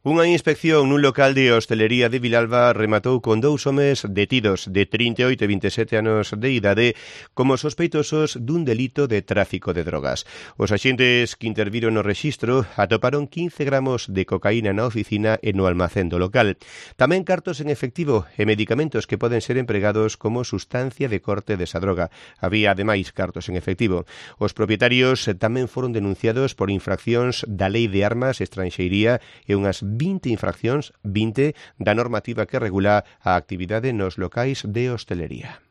Unha inspección nun local de hostelería de Vilalba rematou con 2 homes detidos de 38 e 27 anos de idade como sospeitosos dun delito de tráfico de drogas. Os axentes que interviron no rexistro atoparon 15 gramos de cocaína na oficina e no almacén do local. Tamén cartos en efectivo e medicamentos que poden ser empregados como sustancia de corte desa droga. Había, ademais, cartos en efectivo. Os propietarios tamén foron denunciados por infraccións da Lei de Armas, Estranxeiría e unhas 20 infraccións, 20, da normativa que regula a actividade nos locais de hostelería.